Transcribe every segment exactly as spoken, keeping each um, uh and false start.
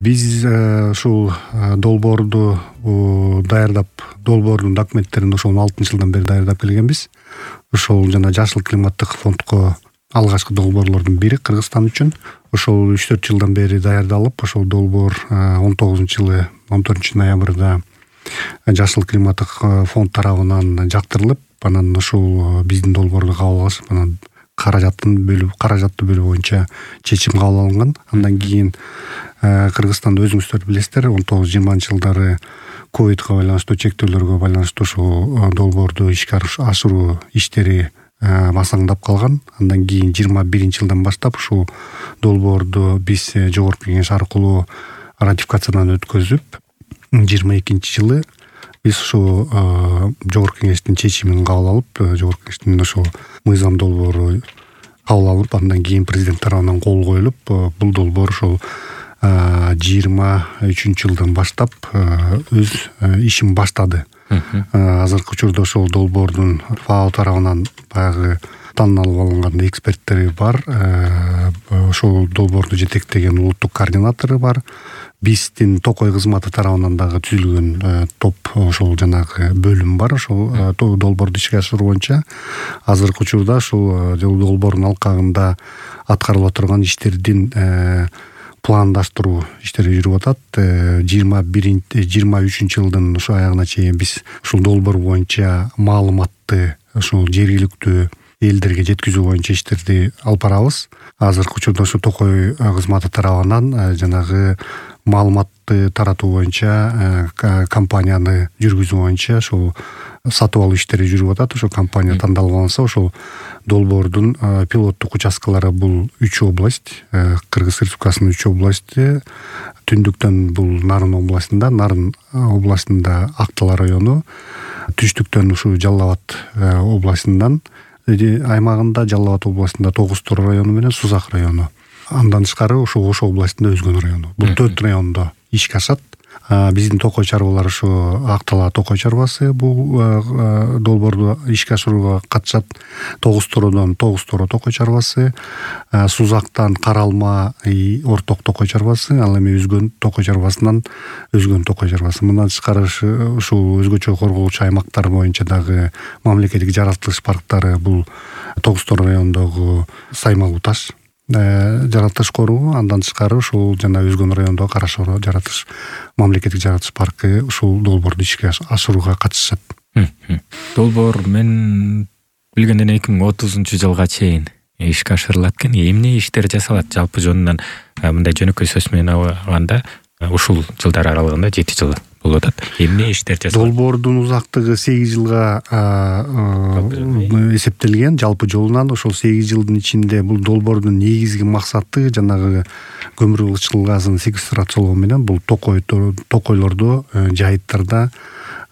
Биз ушул долбоорду даярдап, долбоордун документтерин ошол он алтынчы жылдан бери даярдап келгенбиз. Ошол жана Жашыл климаттык фондко алгачкы долбоорлордун бири Кыргызстан үчүн. Ошол үч төрт жылдан бери даярдалып, ошол долбоор он тогузунчу жылы он төртүнчү ноябрда Жашыл климаттык фонд тарабынан жактырылып, анан ошол биздин долбоорду кабыл алышып, анан каражатын бөлүп, каражатты бөлүү боюнча чечим кабыл алынган. Андан кийин Кыргызстанда өзүңүздөр билесиздер, он тогуз жыйырманчы жылдары ковидко байланыштуу чектөөлөргө байланыштуу ошол долбоорду ишке ашыруу иштери басаңдап калган. Андан кийин жыйырма биринчи жылдан баштап ушул долбоорду биз жогорку кеңеш аркылуу ратификациядан өткөзүп, жыйырма экинчи жылы биз ушул жогорку кеңештин чечимин кабыл алып, жогорку кеңештин ошол мыйзам долбоору кабыл алып, андан кийин президент тарабынан кол коюлуп, бул долбоор ошол жыйырма үчүнчү жылдан баштап өз ишин баштады. Азыркы учурда ошол долбоордун ФАО тарабынан баягы танылып алынган эксперттери бар. Ошол долбоорду жетектеген улуттук координатору бар. Биздин Токой кызматы тарабынан дагы түзүлгөн топ, ошол жанагы бөлүм бар. Ошол долбоорду ишке ашыруу боюнча азыркы учурда ошол долбоордун алкагында аткарылып турган иштердин пландаштыруу иштери жүрүп атат. жыйырма биринчи жыйырма үчүнчү жылдын ошо аягына чейин биз ушул долбоор боюнча маалыматты ошол жергиликтүү элдерге жеткизүү боюнча иштерди алып барабыз. Азыркы учурда ошо Токой кызматы тарабынан жанагы маалыматты таратуу боюнча компанияны жүргүзүү боюнча ошол сатып алуу иштери жүрүп атат. Ошо компания тандалып алынса, ошол долбоордун пилоттук участкалары бул үч область, Кыргыз Республикасынын үч области. Түндүктөн бул Нарын областында, Нарын областында Актала району, түштүктөн ушу Жалал Абад областынан аймагында, Жалал Абад областында Тогуз Тор району менен Сузак району. Андан тышкары ошо Ош областында Өзгөн району. Бул төрт райондо ишке ашат. Биздин Токой чарбалар ошо Актала Токой чарбасы бул долбоорду ишке ашырууга катышат. Тогуз Тородон Тогуз Торо Токой чарбасы, Сузактан Каралма Орток Токой чарбасы, ал эми Өзгөн Токой чарбасынан Өзгөн Токой чарбасы. Мындан тышкары ушул өзгөчө корголуучу аймактар боюнча дагы мамлекеттик жаратылыш парктары бул Тогуз Тор районундогу Саймалуу таш жаратылыш коруу, андан тышкары ушул жана Өзгөн районундогу Карашоро жаратылыш мамлекеттик жаратылыш паркы ушул долбоорду ишке ашырууга катышат. Долбоор мен билгенден эки миң отузунчу жылга чейин ишке ашырылат экен. Эмне иштер жасалат жалпы жөнүнөн мындай жөнөкөй сөз менен алганда ушул жылдар аралыгында жети жыл болуп атат. Эмне иштер жасалат? Долбоордун узактыгы сегиз жылга эсептелген жалпы жолунан. Ошол сегиз жылдын ичинде бул долбоордун негизги максаты жанагы көмүр кычкыл газын секвестрациялоо менен бул Токой токойлордо, жайыттарда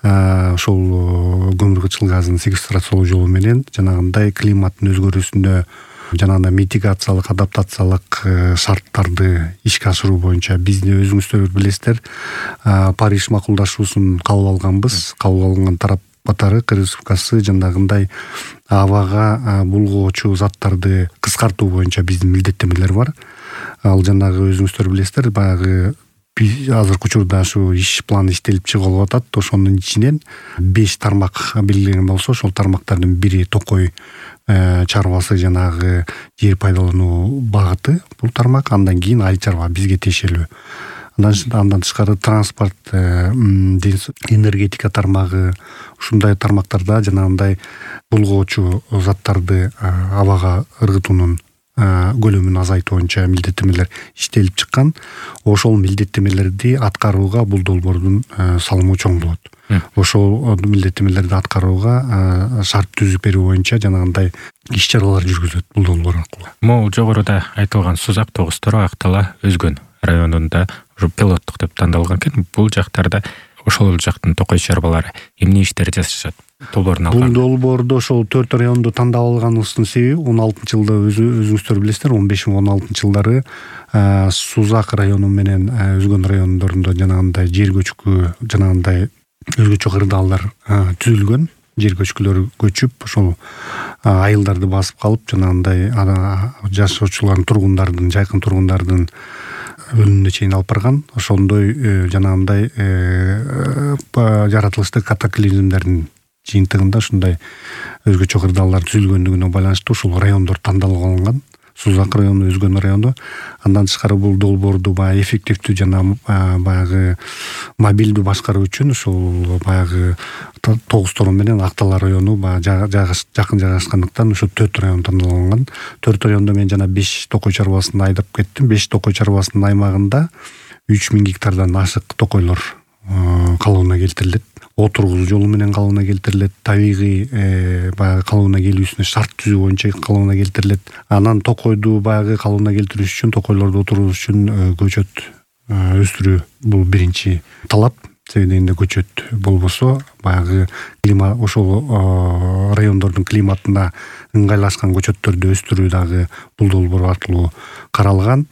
ошол көмүр кычкыл газын секвестрациялоо жолу менен жанагындай климаттын өзгөрүүсүнө жанагындай митигациялык, адаптациялык шарттарды ишке ашыруу боюнча бизди өзүңүздөр билесиздер, Париж макулдашуусун кабыл алганбыз. Кабыл алган тарап катары Кыргыз Республикасы жанагындай абага булгоочу заттарды кыскартуу боюнча биздин милдеттенмелер бар. Ал жанагы өзүңүздөр билесиздер, баягы азыркы учурда ушу иш планы иштелип чыгылып атат. Ошонун ичинен беш тармак белгиленген болсо, ошол тармактардын бири Токой чарбасы жанагы жер пайдалануу багыты бул тармак. Андан кийин Айыл чарба бизге тиешелүү. Андан тышкары транспорт, энергетика тармагы, ушундай тармактарда жанагындай булгоочу заттарды абага ыргытуунун көлөмүн азайтуу боюнча милдеттенмелер иштелип чыккан. Ошол милдеттенмелерди аткарууга бул долбоордун салымы чоң болот. Ошол милдеттенмелерди аткарууга шарт түзүп берүү боюнча жанагындай иш-чаралар жүргүзүлөт бул долбоор аркылуу. Могу жогоруда айтылган Сузак, Тогуз Торо, Актала, Өзгөн районунда ушу пилоттук деп тандалган экен. Бул жактарда ошол жактын Токой чарбалары эмне иштер жасашат? Долбоорун алган. Бул долбоордо ошол төрт районду тандап алганыбыздын себеби он алтынчы жылда өзүңүздөр билесиздер, он беш он алтынчы жылдары Сузак району менен Өзгөн райондорунда жанагындай жер көчкү, жанагындай өзгөчө кырдаалдар түзүлгөн. Жер көчкүлөр көчүп, ошол айылдарды басып калып, жанагындай жашоочулардын, тургундардын, жайкын тургундардын өлүмүнө чейин алып барган. Ошондой жанагындай жаратылыштык катаклизмдердин жыйынтыгында ушундай өзгөчө кырдаалдар түзүлгөндүгүнө байланыштуу ушул райондор тандалып алынган. Сузак району, Өзгөн району. Андан тышкары бул долбоорду баягы эффективдүү жана баягы мобилдүү башкаруу үчүн ушул баягы тогуз торон менен Актала району баягы жакын жайгашкандыктан ушу төрт район тандалган. төрт райондо мен жана беш токой чарбасын айдап кеттим. беш токой чарбасынын аймагында үч миң гектардан ашык токойлор калыбына келтирилет. Отургузуу жолу менен калыбына келтирилет. Табигый баягы калыбына келүүсүнө шарт түзүү боюнча калыбына келтирилет. Анан токойду баягы калыбына келтирүү үчүн, токойлорду отургузуу үчүн көчөт өстүрүү бул биринчи талап. Себеби дегенде көчөт болбосо баягы климат ошол райондордун климатына ыңгайлашкан көчөттөрдү өстүрүү дагы бул долбоор аркылуу каралган.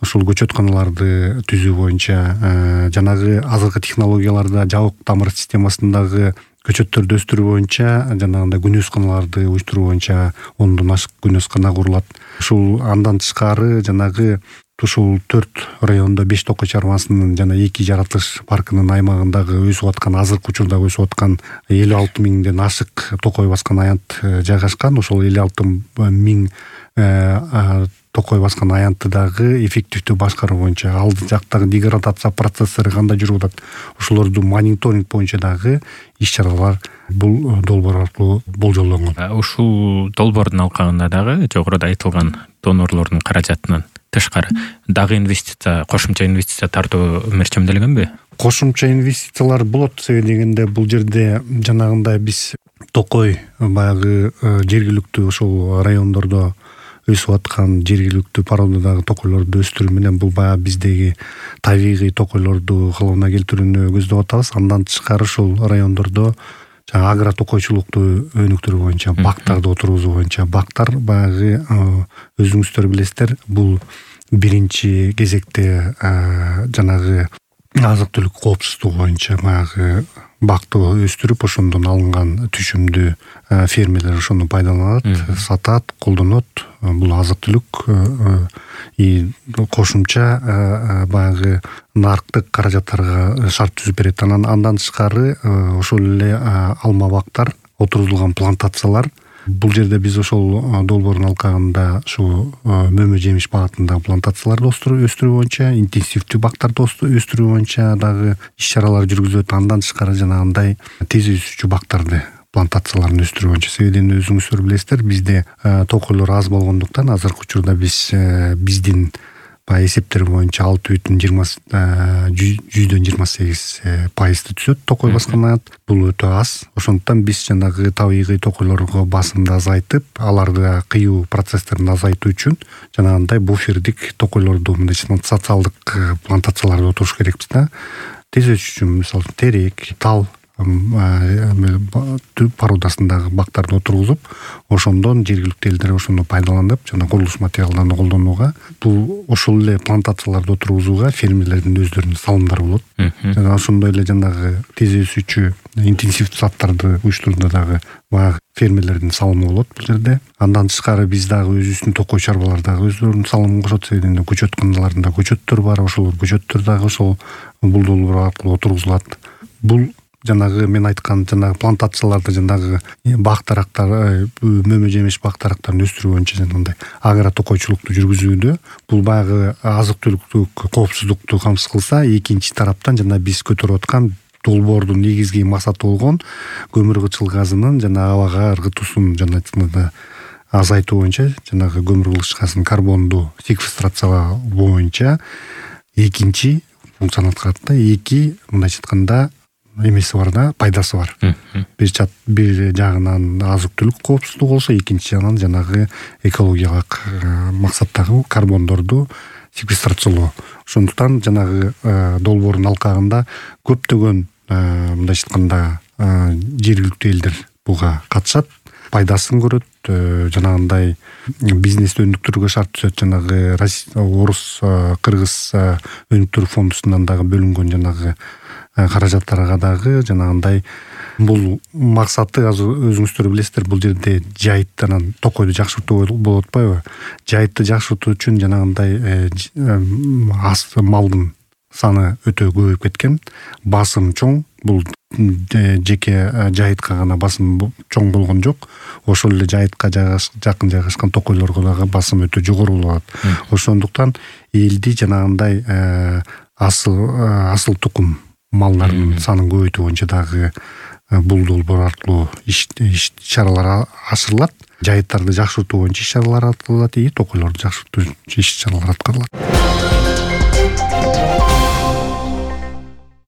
Ушул көчөтканаларды түзүү боюнча жанагы азыркы технологияларда жабык тамыр системасындагы көчөттөрдү өстүрүү боюнча жанагындай күнөөсканаларды уюштуруу боюнча ондон ашык күнөөскана курулат. Ушул андан тышкары жанагы ушул төрт райондо беш токой чарбасынын жана эки жаратылыш паркынын аймагындагы өсүп аткан азыркы учурда өсүп аткан элүү алты миңден ашык токой баскан аянт жайгашкан. Ошол элүү алты миң токой баскан аянтты дагы эффективдүү башкаруу боюнча алды жактагы деградация процесстери кандай жүрүп атат, ошолорду мониторинг боюнча дагы иш-чаралар бул долбоор аркылуу болжолдонгон. Ушул долбоордун алкагында дагы жогоруда айтылган донорлордун каражатынан тышкары дагы инвестиция, кошумча инвестиция тартуу мерчемделгенби? Кошумча инвестициялар болот. Себеби дегенде бул жерде жанагындай биз токой баягы жергиликтүү ошол райондордо өсүп аткан жергиликтүү породадагы токойлорду өстүрүү менен бул баягы биздеги табигый токойлорду калыбына келтирүүнү көздөп атабыз. Андан тышкары ушул райондордо жаңа агро токойчулукту өнүктүрүү боюнча, бактарды отургузуу боюнча, бактар баягы өзүңүздөр билесиздер, бул биринчи кезекте жанагы азык-түлүк коопсуздугу боюнча баягы бакты өстүрүп, ошондон алынган түшүмдү фермерлер ошону пайдаланат, сатат, колдонот. Бул азык-түлүк и кошумча баягы нарыктык каражаттарга шарт түзүп берет. Андан тышкары ошол эле алма бактар, отургузулган плантациялар. Бул жерде биз ошол долбоордун алкагында ушу мөмө жемиш багытындагы плантацияларды өстүрүү боюнча, интенсивдүү бактарды өстүрүү боюнча дагы иш-чаралар жүргүзүлөт. Андан тышкары жанагындай тез өсүүчү бактарды, плантацияларын өстүрүү боюнча. Себеби өзүңүздөр билесиздер, бизде токойлор аз болгондуктан азыркы учурда биз биздин баягы эсептер боюнча алты бүтүн жүздөн жыйырма сегиз пайызды түзөт токой баскан аянт. Бул өтө аз. Ошондуктан биз жанагы табигый токойлорго басымды азайтып, аларды кыюу процесстерин азайтуу үчүн жанагындай буфердик токойлорду, мындай социалдык плантацияларды отуруш керекпиз да. Тез өсүш үчүн мисалы терек, тал породасындагы бактарды отургузуп, ошондон жергиликтүү элдер ошону пайдаланып, жана курулуш материалдарын колдонууга, бул ошол эле плантацияларды отургузууга фермерлердин өздөрүнүн салымдары болот. Жана ошондой эле жанагы тез өсүүчү интенсивдүү саттарды уюштурууда дагы баягы фермерлердин салымы болот бул жерде. Андан тышкары биз дагы өзүбүздүн токой чарбалар дагы өздөрүнүн салымын кошот. Себеби көчөтканаларында көчөттөр бар, ошол көчөттөр дагы ошол бул долбоор аркылуу отургузулат. Бул жанагы мен айткан жанагы плантацияларды, жанагы бактарактар, мөмө жемиш бактарактарын өстүрүү боюнча жанагындай агро токойчулукту жүргүзүүдө бул баягы азык-түлүктүк коопсуздукту камсыз кылса, экинчи тараптан жана биз көтөрүп аткан долбоордун негизги максаты болгон көмүр кычыл газынын жана абага ыргытуусун жана азайтуу боюнча, жанагы көмүр кычыл газынын карбонду секвестрациялоо боюнча экинчи функцияны аткарат. Эки мындайча айтканда эмеси бар да, пайдасы бар. Бир чат бир жагынан азык-түлүк коопсуздугу болсо, экинчи жагынан жанагы экологиялык максаттагы карбондорду секвестрациялоо. Ошондуктан жанагы долбоордун алкагында көптөгөн мындайча айтканда жергиликтүү элдер буга катышат, пайдасын көрөт, жанагындай бизнести өнүктүрүүгө шарт түзөт. Жанагы орус, кыргыз өнүктүрүү фондусунан дагы бөлүнгөн жанагы каражаттарга дагы жанагындай Бул максаты азыр өзүңүздөр билесиздер, бул жерде жайыт анан токойду жакшыртуу болуп атпайбы? Жайытты жакшыртуу үчүн жанагындай малдын саны өтө көбөйүп кеткен, басым чоң. Бул жеке жайытка гана басым чоң болгон жок, ошол эле жайытка жакын жайгашкан токойлорго дагы басым өтө жогору болуп атат. Ошондуктан элди жанагындай асыл асыл тукум малдардын санын көбөйтүү боюнча дагы бул долбоор аркылуу иш чаралар ашырылат. Жайыттарды жакшыртуу боюнча иш чаралар аткарылат, и токойлорду жакшыртуу иш чаралар аткарылат.